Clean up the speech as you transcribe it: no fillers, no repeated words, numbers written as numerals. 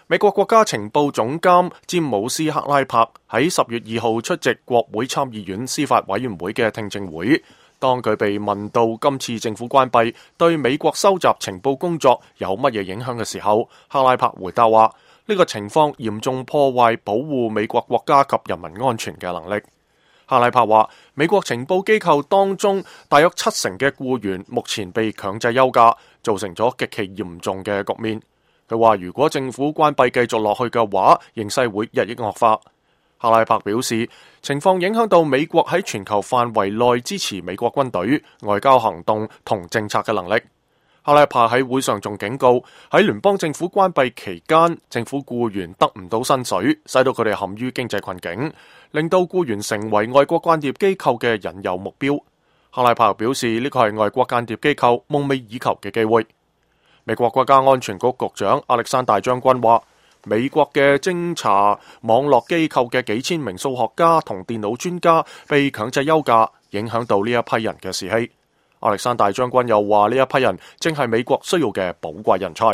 美國國家情報總監詹姆斯克拉柏喺10月2號出席國會參議院司法委員會嘅聽證會，當佢被問到今次政府關閉對美國收集情報工作有乜嘢影響嘅時候，克拉柏回答話：呢個情況嚴重破壞保護美國國家及人民安全嘅能力。克拉柏話：美國情報機構當中大約70%嘅僱員目前被強制休假，造成咗極其嚴重嘅局面。佢話：如果政府關閉繼續落去嘅話，形勢會日益惡化。克拉柏表示，情況影響到美國喺全球範圍內支持美國軍隊、外交行動同政策嘅能力。克拉柏喺會上仲警告，喺聯邦政府關閉期間，政府僱員得唔到薪水，使到佢哋陷於經濟困境，令到僱員成為外國間諜機構嘅引誘目標。克拉柏表示，呢個係外國間諜機構夢寐以求嘅機會。美國國家安全局局長亞歷山大將軍話：美國嘅偵查網絡機構嘅幾千名數學家同電腦專家被強制休假，影響到呢一批人嘅士氣。亞歷山大將軍又話：呢一批人正係美國需要嘅寶貴人才。